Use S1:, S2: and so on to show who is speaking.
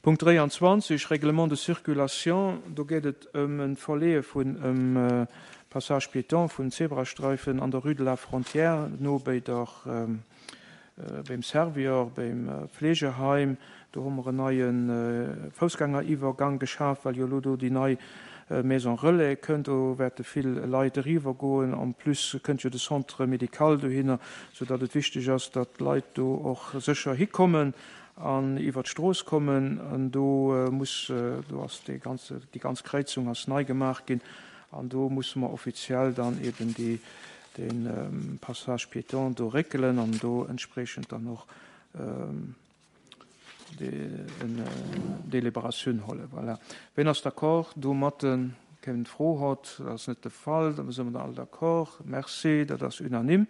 S1: Punkt 23, Règlement de circulation, do geet et ëm e Verleeë vun em Passage piéton, vun Zebrastreifen an der Rue de la Frontière, no béi der, béim Servior, béim Fleegeheim. Do hu mer en neie Foussgängeriwwergang geschaf, well jo elo do déi nei Maison relais kënnt. Do wäerte vill Leit eriwwer goen. En plus kënnt jo de Centre médical dohinner, soudatt et wichteg ass, datt d'Leit do och sécher hikommen. an iwwer d'Strooss kommen an do muss, do ass dee ganze, déi ganz Kräizung ass nei gemaach ginn an do musse mer offiziell dann eben déi, dee Passage piéton do réckelen an do entspreechend dann och en Délibératioun hollen. Voilà. Ween ass d'accord domatten? Keen Fro hott? Dat ass net de Fall. Da si mer all d'accord. Merci, dat ass unanime.